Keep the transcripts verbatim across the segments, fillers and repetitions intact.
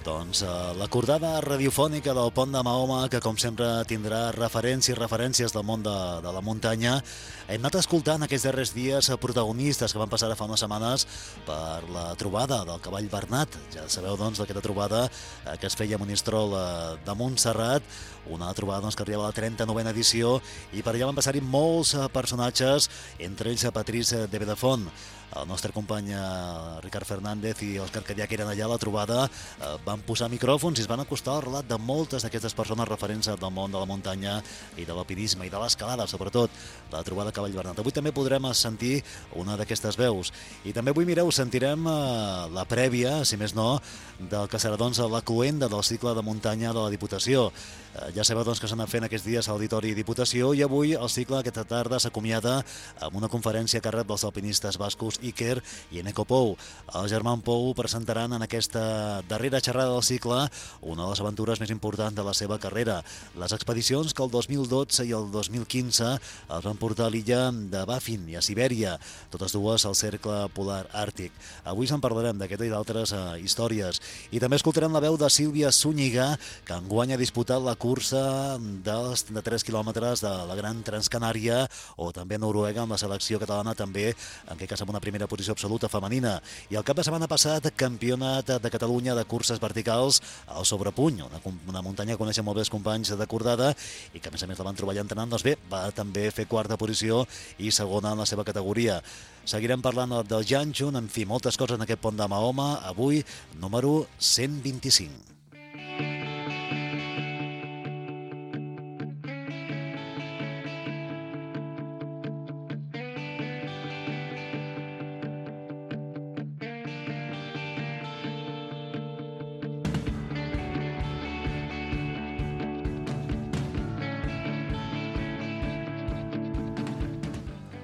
Doncs eh, l'acordada radiofònica del Pont de Mahoma, que com sempre tindrà referències i referències del món de, de la muntanya. Hem anat escoltant aquests darrers dies protagonistes que van passar fa unes setmanes per la trobada del cavall Bernat. Ja sabeu, doncs, d'aquesta trobada eh, que es feia a Monistrol eh, de Montserrat, una trobada doncs, que arriba a la trenta-novena edició, i per allà van passar-hi molts eh, personatges, entre ells a Patrice de Bedefont. El nostre company Ricard Fernández i Òscar Cadià, que eren allà a la trobada, eh, van posar micròfons i es van acostar al relat de moltes d'aquestes persones referents del món de la muntanya i de l'alpinisme i de l'escalada, sobretot la trobada Cavall Bernat. Avui també podrem sentir una d'aquestes veus. I també avui, mireu, sentirem eh, la prèvia, si més no, del que serà doncs, la cloenda del cicle de muntanya de la Diputació. Eh, ja sabeu doncs, que s'han anat fent aquests dies a l'Auditori Diputació, i avui el cicle aquesta tarda s'acomiada amb una conferència a càrrec dels alpinistes bascos Iker i Eneko Pou. El Germán Pou presentaran en aquesta darrera xerrada del cicle una de les aventures més importants de la seva carrera, les expedicions que el dos mil dotze i el dos mil quinze els van portar a l'illa de Baffin i a Sibèria, totes dues al cercle polar àrtic. Avui se'n parlarem d'aquesta i d'altres eh, històries. I també escoltarem la veu de Sílvia Zúñiga, que enguany ha disputat la cursa dels de tres quilòmetres de la Gran Transcanària, o també a Noruega amb la selecció catalana, també en aquest cas amb una primera posició absoluta femenina. I el cap de setmana passat, campionat de Catalunya de curses verticals al Sobrepuny, una, una muntanya que coneixen molt bé els companys de Cordada i que a més a més la van trobar allà entrenant. Doncs bé, va també fer quarta posició i segona en la seva categoria. Seguirem parlant del Janjun, en fi, moltes coses en aquest Pont de Mahoma, avui número cent vint-i-cinc.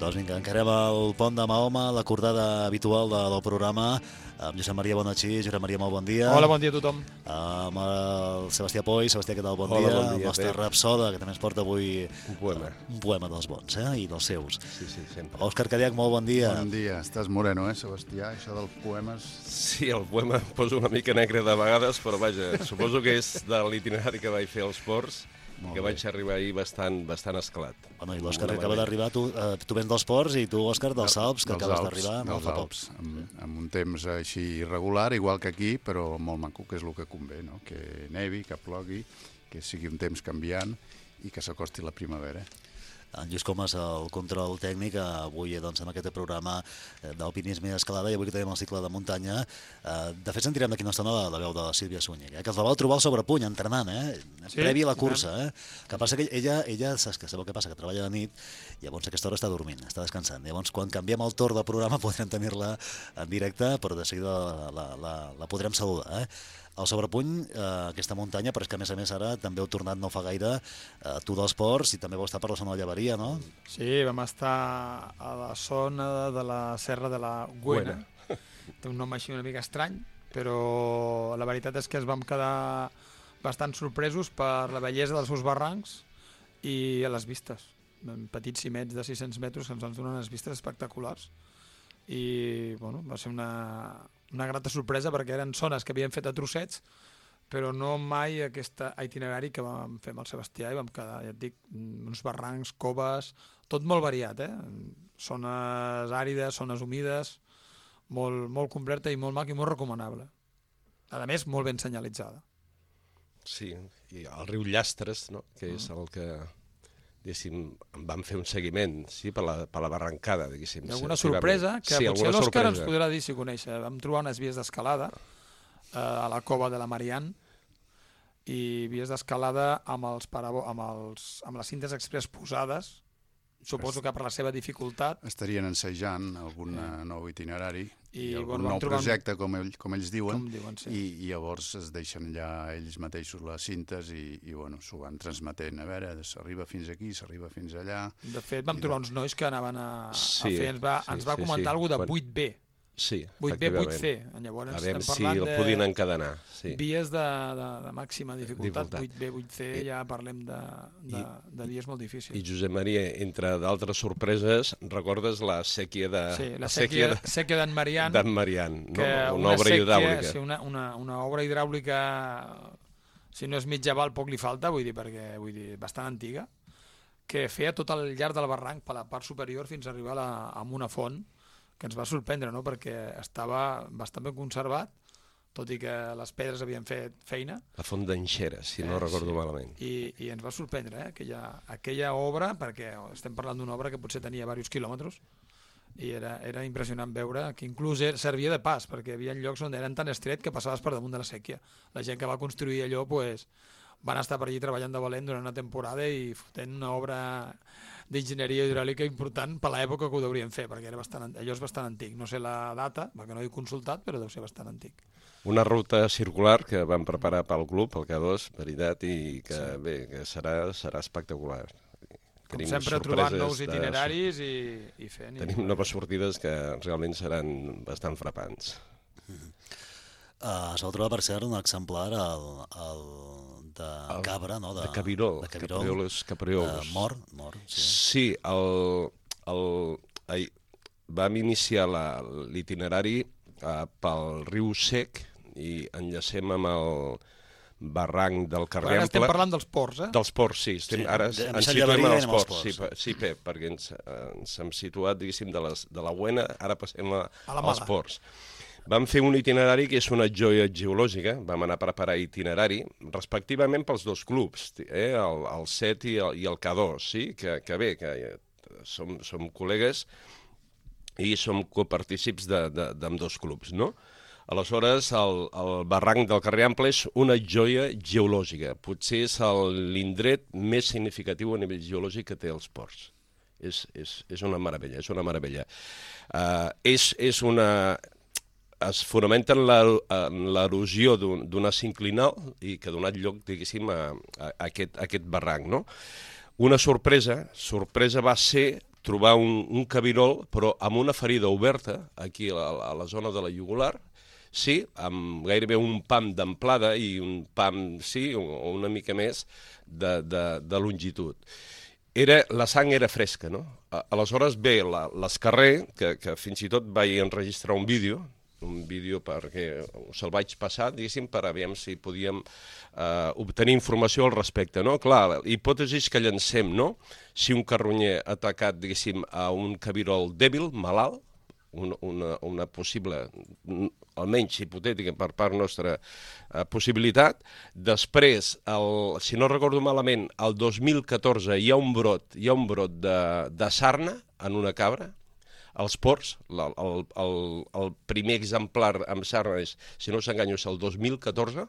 Doncs vinga, encarem el Pont de Mahoma, l'acordada habitual de, del programa, amb Josep Maria Bonachí. Josep Maria, molt bon dia. Hola, bon dia a tothom. Amb el Sebastià Poi. Sebastià, què tal? Bon Hola, dia. bon dia. El nostre rapsoda, que també ens porta avui un poema. Un poema dels bons, eh? I dels seus. Sí, sí, sempre. Òscar Cadiac, molt bon dia. Bon dia. Estàs moreno, eh, Sebastià? Això dels poemes... Sí, el poema em poso una mica negre de vegades, però vaja, suposo que és de l'itinerari que vaig fer als ports, que vaig arribar ahir bastant, bastant esclat. Bueno, i l'Òscar que acaba d'arribar, tu, eh, tu vens dels ports, i tu, Òscar, dels Alps, que acabes d'arribar no fa poc. Amb, amb un temps així irregular, igual que aquí, però molt maco, que és el que convé, no? Que nevi, que plogui, que sigui un temps canviant i que s'acosti la primavera. En Lluís Comas, el control tècnic, avui doncs, en aquest programa d'alpinisme i escalada, i avui que tenim el cicle de muntanya. De fet, sentirem d'aquí una estona la, la veu de la Sílvia Zúñiga, eh? Que els la vau trobar al Sobrepuny, entrenant, eh? Sí, previ a la cursa. Eh? Que passa que ella, ella saps que sabeu què passa, que treballa de nit, i llavors a aquesta hora està dormint, està descansant. Llavors, quan canviem el torn del programa, podrem tenir-la en directe, però de seguida la, la, la, la podrem saludar, eh? El Sobrepuny, eh, aquesta muntanya, però és que a més a més ara també heu tornat no fa gaire, eh, tu dels ports, i també vau estar per la zona de Llaveria, no? Sí, vam estar a la zona de la Serra de la Güena. Té un nom així una mica estrany, però la veritat és que ens vam quedar bastant sorpresos per la bellesa dels seus barrancs i les vistes. Petits cimets de sis-cents metres que ens van donar unes vistes espectaculars. I bueno, va ser una, una grata sorpresa, perquè eren zones que havien fet a trossets, però no mai aquest itinerari que vam fer amb el Sebastià, i vam quedar, ja et dic, uns barrancs, coves, tot molt variat, eh? Zones àrides, zones humides, molt, molt completa i molt maca i molt recomanable. A més, molt ben senyalitzada. Sí, i el riu Llastres, no? Que és el que... diguéssim, em van fer un seguiment, sí, per la, per la barrancada, diguéssim. Hi ha alguna sorpresa, que sí, potser l'Òscar ens podrà dir si coneix. Vam trobar unes vies d'escalada eh, a la cova de la Marianne, i vies d'escalada amb, els parabo, amb, els, amb les cintes express posades, suposo que per la seva dificultat. Estarien ensajant algun eh. nou itinerari i, i algun bueno, nou projecte, un... com, ell, com ells diuen, com diuen sí. i, i llavors es deixen ja ells mateixos les cintes i, i bueno, s'ho van transmetent. A veure, s'arriba fins aquí, s'arriba fins allà... De fet, vam trobar uns nois que anaven a, sí, a fer... Ens va, sí, ens va sí, comentar sí. alguna de Quan... vuit B. Sí, vuit B, vuit C. efectivament. Llavors A veure estem si parlant el de podien encadenar. Sí. vies de, de, de màxima dificultat. Dificultat. vuit B, vuit C, ja parlem de, de, de vies molt difícils. I Josep Maria, entre d'altres sorpreses, recordes la sèquia de... Sí, la sèquia, de- sèquia d'en Marian, d'en Marian, no? que Una obra sèquia, hidràulica. sí, una, una, una obra hidràulica, si no és mitjaval, poc li falta, vull dir, perquè vull dir, bastant antiga, que feia tot el llarg del barranc per la part superior fins a arribar a, la, a una font, que ens va sorprendre, no? Perquè estava bastant ben conservat, tot i que les pedres havien fet feina. La font d'Enxera, si no Eh, recordo sí. malament. I, i ens va sorprendre eh? aquella, aquella obra, perquè estem parlant d'una obra que potser tenia diversos quilòmetres, i era, era impressionant veure que inclús era, servia de pas, perquè hi havia llocs on eren tan estret que passaves per damunt de la sèquia. La gent que va construir allò pues, van estar per allí treballant de valent durant una temporada i fotent una obra d'enginyeria hidràulica important per l'època que ho deurien fer, perquè era bastant, allò és bastant antic. No sé la data, perquè no he consultat, però deu ser bastant antic. Una ruta circular que vam preparar pel club, el K dos, veritat, i que, sí. bé, que serà, serà espectacular. Com Tenim sempre, trobant sorpreses nous de- itineraris i, i fent... Tenim i... noves sortides que realment seran bastant frapants. Uh, es va trobar, per cert, un exemplar al, al de El- cabra, no? De Cabirol, de Cabirol, caprioles, caprioles. Uh, mort, mort, sí. Sí, el, el, ai, vam iniciar la- l'itinerari uh, pel riu Sec i enllacem amb el barranc del Però Carrer ara estem Ample. parlant dels ports, eh? Dels ports, sí. Estem, Sí, ara de- ens amb Sant situem Llevaria als anem als ports. Sí, ports. pe- sí, Pep, perquè ens, eh, ens hem situat, diguéssim, de, les, de la Buena, ara passem a, A la als Mala. ports. Vam fer un itinerari que és una joia geològica, vam anar a preparar itinerari, respectivament pels dos clubs, eh, el, el set i el, i el K dos, sí? que, que bé, que eh, som, som col·legues i som copartícips d'amb dos clubs, no? Aleshores, el, el barranc del Carrer Ample és una joia geològica. Potser és l'indret més significatiu a nivell geològic que té els ports. És, és, és una meravella, és una meravella. Uh, és, és una... Es fonamenta en la- en l'erosió d'un d'una sinclinal i que ha donat lloc, diguéssim, a, a, a, aquest, a aquest barranc, no? Una sorpresa, sorpresa va ser trobar un, un cabirol, però amb una ferida oberta, aquí a la, a la zona de la jugular, sí, amb gairebé un pam d'amplada i un pam, sí, o, o una mica més de, de, de longitud. Era, la sang era fresca, no? A- Aleshores, bé, la- l'escarrer, que, que fins i tot vaig enregistrar un vídeo, un vídeo perquè se'l vaig passar, diguéssim, per a veure si podíem eh, obtenir informació al respecte, no? Clar, la hipòtesi que llancem, no? Si un carronyer ha atacat, diguéssim, a un cabirol dèbil, malalt, una, una, una possible, mm, almenys hipotètica per part nostra, eh, possibilitat. Després, el, si no recordo malament, el dos mil catorze hi ha un brot, hi ha un brot de, de sarna en una cabra, als ports, la, el, el, el primer exemplar amb sarna és, si no s'enganyo, és el dos mil catorze.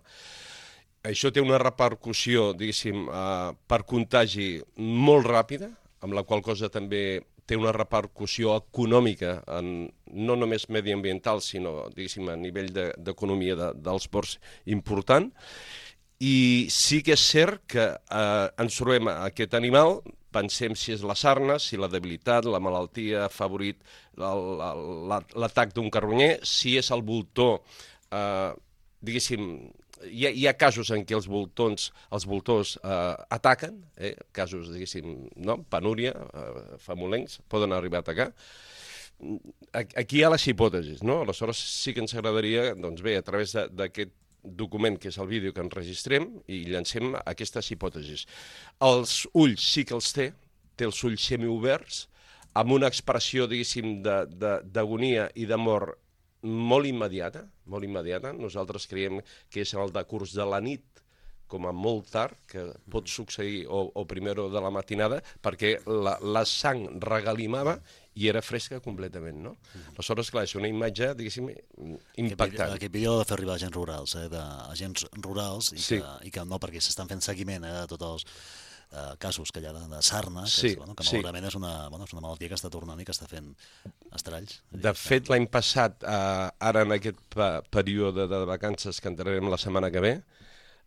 Això té una repercussió, diguéssim, eh, per contagi molt ràpida, amb la qual cosa també té una repercussió econòmica, en, no només mediambiental, sinó, diguéssim, a nivell d'economia de, de, dels ports important. I sí que és cert que eh, ens trobem aquest animal, pensem si és la sarna, si la debilitat, la malaltia ha favorit l'atac d'un carronyer, si és el voltor, eh, diguéssim, hi ha, hi ha casos en què els voltons, els voltors eh, ataquen, eh, casos, diguéssim, no? Penúria, eh, famolencs, poden arribar a atacar. Aquí hi ha les hipòtesis, no? Aleshores sí que ens agradaria, doncs bé, a través d'aquest document, que és el vídeo que enregistrem, i llancem aquestes hipòtesis. Els ulls sí que els té, té els ulls semioberts, amb una expressió, diguéssim, d'agonia i de mort molt immediata, molt immediata. Nosaltres creiem que és el decurs de la nit, com a molt tard, que pot succeir o, o primero de la matinada, perquè la, la sang regalimava i era fresca completament, no? Aleshores, clar, és una imatge, diguéssim, impactant. Aquest vídeo l'ha de fer arribar a agents rurals, eh, d'agents rurals, i, Sí. que, i que no, perquè s'estan fent seguiment eh, de tots els eh, casos que hi ha de, de sarna, que, Sí, és, bueno, que sí. malauradament és una, bueno, és una malaltia que està tornant i que està fent estralls. De fet, l'any passat, eh, ara en aquest pe- període de vacances que entrarem la setmana que ve,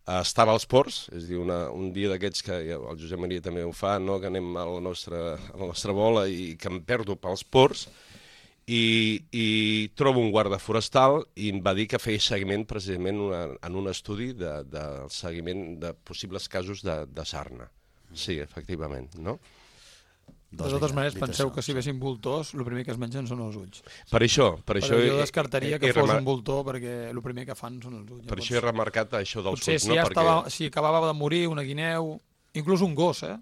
eh, estava als ports, és a dir, una, un dia d'aquests que ja, el Josep Maria també ho fa, no? Que anem a la nostra, a la nostra bola i que em perdo pels ports, i, i trobo un guarda forestal i em va dir que feia seguiment precisament una, en un estudi de, de seguiment de possibles casos de, de sarna. Sí, efectivament, no? De totes maneres, penseu que si vessin voltors, el primer que es mengen són els ulls. Per això... Per això jo descartaria que fos un voltor, perquè el primer que fan són els ulls. Per això he remarcat això dels ulls. Potser si, ja estava, si acabava de morir una guineu, inclús un gos, eh?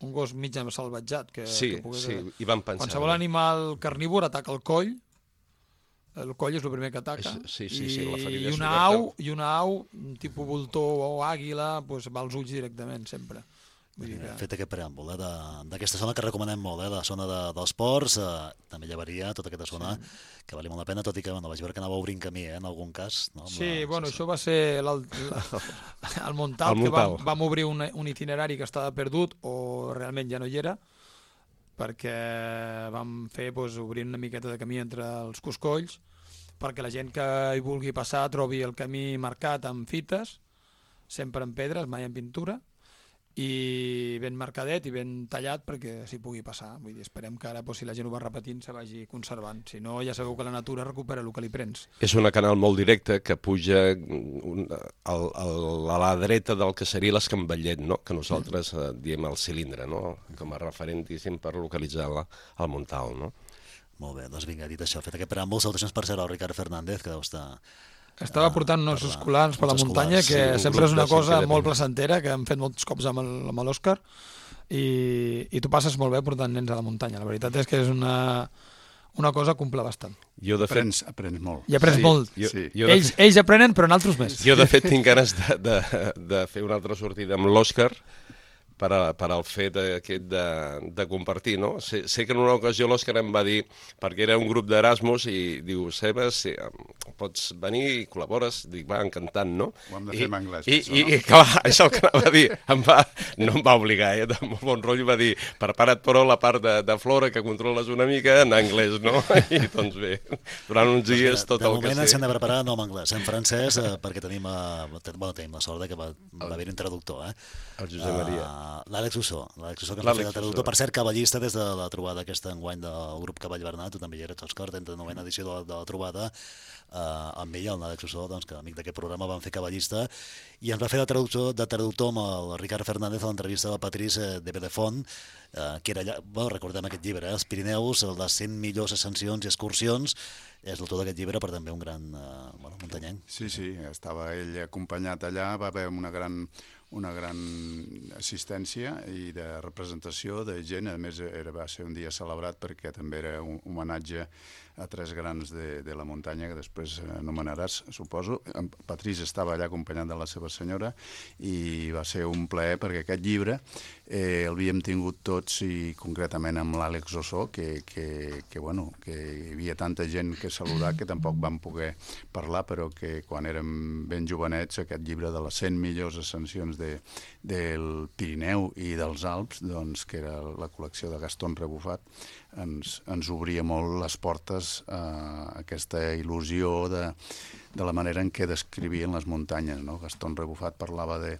Un gos mig salvatjat. Que, sí, que pogués... sí, hi van pensar. Qualsevol animal carnívor ataca el coll, el coll és el primer que ataca, sí, sí, sí, la i, una au, i una au, un tipus voltor o àguila, doncs va als ulls directament, sempre. Vull dir que... Fet aquest preàmbul eh, d'aquesta zona que recomanem molt, eh, la zona de, dels ports, eh, també llevaria tota aquesta zona sí. que valia molt la pena, tot i que bueno, vaig veure que anava obrint camí eh, en algun cas. No? Sí, la... bueno, sí, això va ser el, el Montal, que vam, vam obrir un, un itinerari que estava perdut o realment ja no hi era, perquè vam fer doncs, obrir una miqueta de camí entre els coscolls, perquè la gent que hi vulgui passar trobi el camí marcat amb fites, sempre en pedres, mai en pintura, i ben marcadet i ben tallat perquè s'hi pugui passar. Vull dir, esperem que ara, doncs, si la gent ho va repetint, se vagi conservant. Si no, ja sabeu que la natura recupera el que li prens. És una canal molt directa que puja un, al, al, a la dreta del que seria l'Escamballet, no? Que nosaltres eh, diem el cilindre, no? Com a referent, diguéssim, per localitzar la, el Montal, no? Molt bé, doncs vinga, dit això, fet aquest preàmbul, salutacions per ser el Ricard Fernández, que deu estar... Estava portant uns escolars per la muntanya, que sí, sempre és una cosa molt placentera, que hem fet molts cops amb l'Òscar, i, i tu passes molt bé portant nens a la muntanya. La veritat és que és una, una cosa que omple bastant. Jo de aprens, fet... aprens molt. I aprens sí, molt. Jo, sí. jo ells, fet... ells aprenen, però nosaltres més. Jo, de fet, tinc ganes de, de, de fer una altra sortida amb l'Òscar, per, a, per al fet aquest de, de compartir, no? Sé, sé que en una ocasió l'Òscar em va dir, perquè era un grup d'Erasmus, i diu, Sebas, si pots venir i col·labores? Dic, va, encantant, no? Ho hem de fer I, en anglès, i, això, i, no? I, clar, és el que anava a dir. Em va, no em va obligar, eh? De molt bon rotllo va dir, prepara't però la part de, de flora que controles una mica en anglès, no? I doncs bé, durant uns dies tot el que sé... De moment ens hem de preparar no en anglès, en francès, eh, perquè tenim, eh, bueno, tenim la sort que va, va haver-hi un traductor, eh? El Josep Maria. Uh, L'Àlex Ussó, l'Àlex Ussó que ens va fer de traductor, per cert, cavallista des de la trobada aquesta enguany del grup Cavall Bernat, tu també hi eres, Òscar, trenta novena edició de la, de la trobada, uh, amb ell, el l'Àlex Ussó, doncs, que amic d'aquest programa, van fer cavallista, i ens va fer de traductor, de traductor amb el Ricard Fernández a l'entrevista del Patrice de Bedefont, uh, que era allà, bueno, recordem aquest llibre, eh, Els Pirineus, les cent millors ascensions i excursions, és l'autor d'aquest llibre, per també un gran uh, bueno, muntanyenc. Sí, sí, estava ell acompanyat allà, va haver una gran... una gran assistència i de representació de gent. A més, era, va ser un dia celebrat perquè també era un homenatge a tres grans de, de la muntanya, que després anomenaràs, suposo. En Patrice estava allà acompanyat de la seva senyora i va ser un plaer perquè aquest llibre eh, l'havíem tingut tots i concretament amb l'Àlex Ussó, que, que, que, bueno, que hi havia tanta gent que saludar que tampoc vam poder parlar, però que quan érem ben jovenets aquest llibre de les cent millors ascensions de, del Pirineu i dels Alps, doncs, que era la col·lecció de Gaston Rebufat, ens, ens obria molt les portes a aquesta il·lusió de, de la manera en què descrivien les muntanyes, no? Gaston Rebufat parlava de,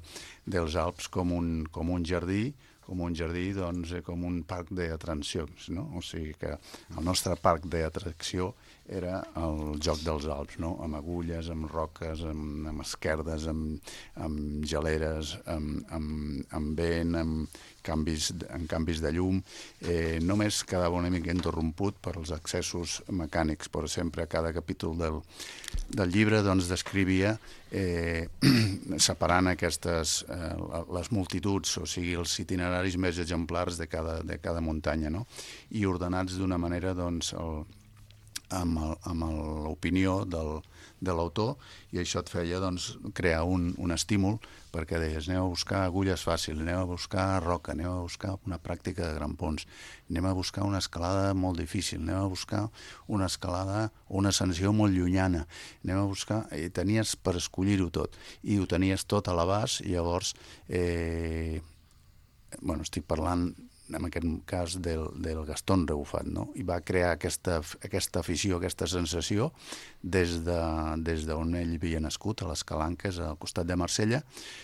dels Alps com un, com un jardí, com un jardí, doncs, com un parc d'atraccions, no? O sigui que el nostre parc d'atracció era el joc dels Alps, no? Amb agulles, amb roques, amb, amb esquerdes, amb, amb geleres, amb, amb, amb vent, amb canvis, amb canvis de llum. Eh, només quedava una mica interromput per als accessos mecànics, però sempre a cada capítol del, del llibre doncs, descrivia eh, separant aquestes, eh, les multituds, o sigui, els itineraris més exemplars de cada, de cada muntanya, no? I ordenats d'una manera, doncs, el, amb, el, amb l'opinió del, de l'autor, i això et feia doncs, crear un, un estímul perquè deies, aneu a buscar agulles fàcils, aneu a buscar roca, aneu a buscar una pràctica de grampons, anem a buscar una escalada molt difícil, anem a buscar una escalada o una ascensió molt llunyana, anem a buscar... I tenies per escollir-ho tot, i ho tenies tot a l'abast, i llavors, eh, bueno, estic parlant en aquest cas del, del Gastón Rebufat, no? I va crear aquesta, aquesta afició, aquesta sensació des de, des d'on ell havia nascut, a les Calanques, al costat de Marsella,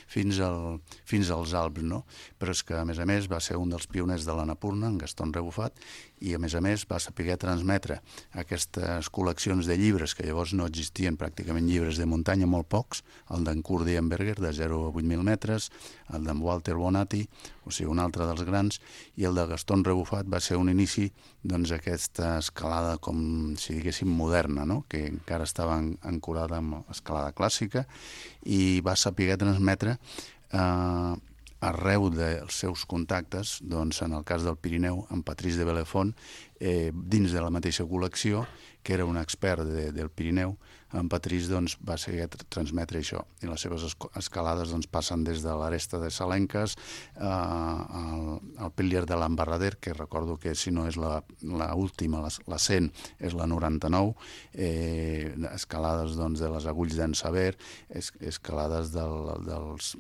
fins, al, fins als Alps, no? Però és que, a més a més, va ser un dels pioners de l'Annapurna, en Gastón Rebufat, i, a més a més, va saber transmetre aquestes col·leccions de llibres, que llavors no existien pràcticament llibres de muntanya, molt pocs, el d'en Kurt Dienberger, de zero a vuit mil metres, el d'en Walter Bonatti, o sigui, un altre dels grans, i el de Gastón Rebufat va ser un inici doncs, aquesta escalada, com si diguéssim, moderna, no? Que encara estava ancorada amb escalada clàssica, i va saber transmetre eh, arreu dels seus contactes, doncs, en el cas del Pirineu, en Patrice de Belefont, eh, dins de la mateixa col·lecció, que era un expert de, del Pirineu, en Patrice doncs, va seguir a transmetre això. I les seves escalades doncs, passen des de l'Aresta de Salenques eh, al, al Pilier de l'Embarrader, que recordo que si no és l'última, la, la cent, és la noranta-nou, eh, escalades doncs, de les Agulls d'en Saber, es, escalades, del, dels,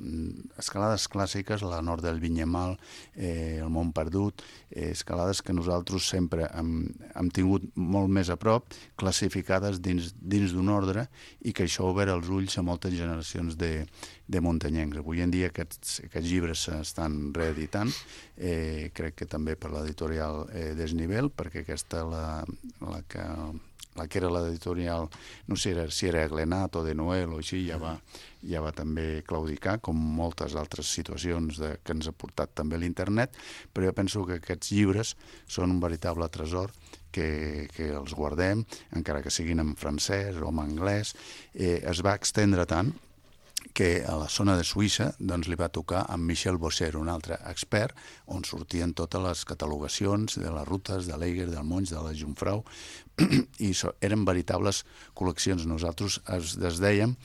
escalades clàssiques, la nord del Vinyemal, eh, el Mont Perdut, eh, escalades que nosaltres sempre hem, hem tingut molt més a prop, classificades dins, dins d'un ordre, i que això ha obert els ulls a moltes generacions de, de muntanyencs. Avui en dia aquests, aquests llibres s'estan reeditant, eh, crec que també per l'editorial eh, Desnivell, perquè aquesta, la, la, que, la que era l'editorial, no sé si era Glenat o de Noel o així, ja va, ja va també claudicar, com moltes altres situacions de, que ens ha portat també l'internet, però jo penso que aquests llibres són un veritable tresor, que, que els guardem, encara que siguin en francès o en anglès. Eh, es va extendre tant que a la zona de Suïssa doncs, li va tocar amb Michel Bosser, un altre expert, on sortien totes les catalogacions de les rutes de l'Eiger, del Monts, de la Jungfrau, i so, eren veritables col·leccions. Nosaltres es desdèiem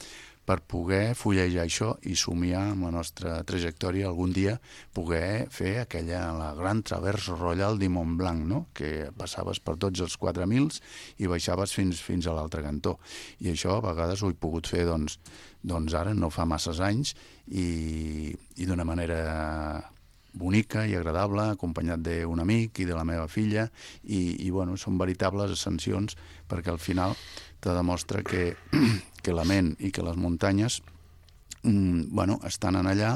per poder fullejar això i somiar amb la nostra trajectòria algun dia poder fer aquella, la gran travers royal de Mont Blanc, no? Que passaves per tots els quatre mils i baixaves fins, fins a l'altre cantó. I això a vegades ho he pogut fer doncs, doncs ara, no fa masses anys, i, i d'una manera bonica i agradable, acompanyat d'un amic i de la meva filla, i, i bueno, són veritables ascensions, perquè al final te demostra que, que la ment i que les muntanyes mm, bueno, estan en allà,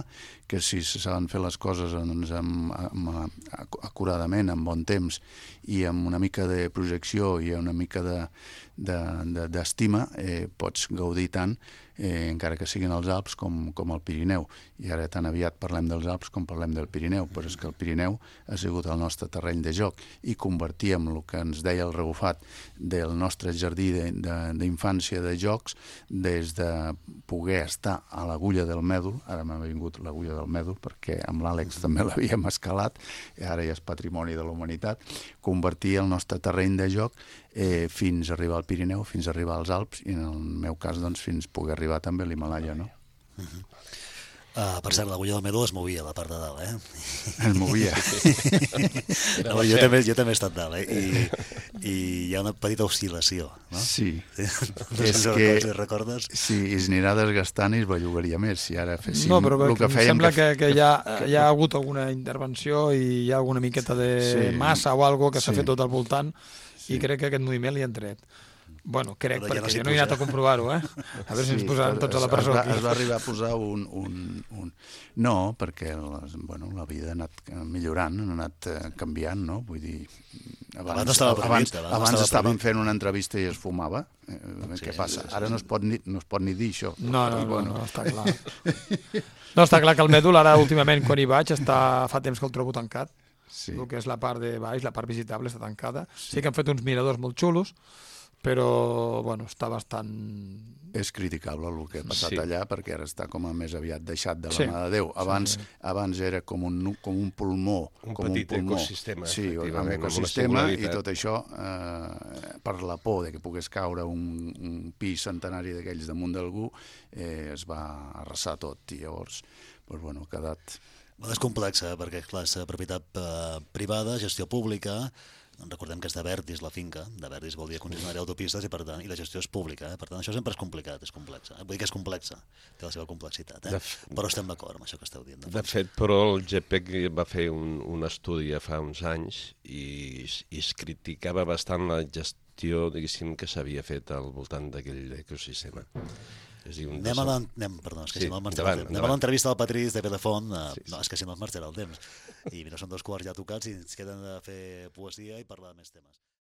que si saben fer les coses doncs, amb, amb, acuradament, amb bon temps i amb una mica de projecció i una mica de, de, de, d'estima, eh, pots gaudir tant, eh, encara que siguin els Alps com, com el Pirineu. I ara tan aviat parlem dels Alps com parlem del Pirineu, però és que el Pirineu ha sigut el nostre terreny de joc, i convertíem el que ens deia el Rebufat del nostre jardí d'infància de, de jocs, des de poder estar a l'agulla del Mèdol, ara m'ha vingut l'agulla del Mèdol perquè amb l'Àlex també l'havíem escalat, i ara ja és patrimoni de la humanitat, convertir el nostre terreny de joc eh, fins a arribar al Pirineu, fins a arribar als Alps, i en el meu cas doncs, fins poder arribar també a l'Himalaya, no? Uh-huh. Uh, per cert, l'agulla del Mèdol es movia a la part de dalt, eh? Es movia. No, jo, també, jo també he estat dalt, eh? I, i hi ha una petita oscil·lació, no? Sí. sí? No és sé que, si recordes. Sí, es anirà desgastant i es bellugaria més, si ara féssim no, però el que fèiem. Sembla que, que, hi, ha, hi ha hagut alguna intervenció i hi ha alguna miqueta de sí. massa o algo que s'ha sí. fet tot al voltant, sí. i crec que aquest moviment li ha tret. Bueno, crec, però perquè ja no jo no he anat a comprovar-ho, eh? A veure sí, si ens posaran tots a la presó. Es va, aquí. es va arribar a posar un... un, un... No, perquè les, bueno, la vida ha anat millorant, ha anat canviant, no? Vull dir, abans, abans, no estava previst, abans, abans estava estàvem previst. fent una entrevista i es fumava. Eh, sí, què passa? Sí, sí, Ara no es, pot ni, no es pot ni dir això. No, no, no, bueno. no, està clar. No, està clar que el Mèdol, ara últimament, quan hi vaig, està, fa temps que el trobo tancat. Sí. El que és la part de baix, la part visitable, està tancada. Sí, sí que han fet uns miradors molt xulos, però bueno, està bastant... És criticable el que ha passat sí. allà, perquè ara està com a més aviat deixat de la sí. mà de Déu. Abans, sí, sí. abans era com un, com un pulmó. Un com petit un pulmó. ecosistema. Sí, un ecosistema, i tot això, eh, per la por de que pogués caure un, un pis centenari d'aquells damunt d'algú, eh, es va arrasar tot, i llavors, doncs, bueno, ha quedat... És complexa, perquè clar, és propietat eh, privada, gestió pública, recordem que és de Verdis la finca, de Verdis vol dir concessionària d'autopistes i per tant, i la gestió és pública, eh? Per tant això sempre és complicat, és complexa. Eh? Vull dir que és complexa, té la seva complexitat, eh? F... Però estem d'acord amb això que esteu dient. De, de fet, però el G P E C va fer un, un estudi fa uns anys i, i es criticava bastant la gestió, diguéssim, que s'havia fet al voltant d'aquell ecosistema. És dir, un anem a l'entrevista del Patrice de Pedefont. Uh, sí, sí. No, és que si no es marxarà el temps. I mira, són dos quarts ja tocats i ens queden de fer poesia i parlar de més temes.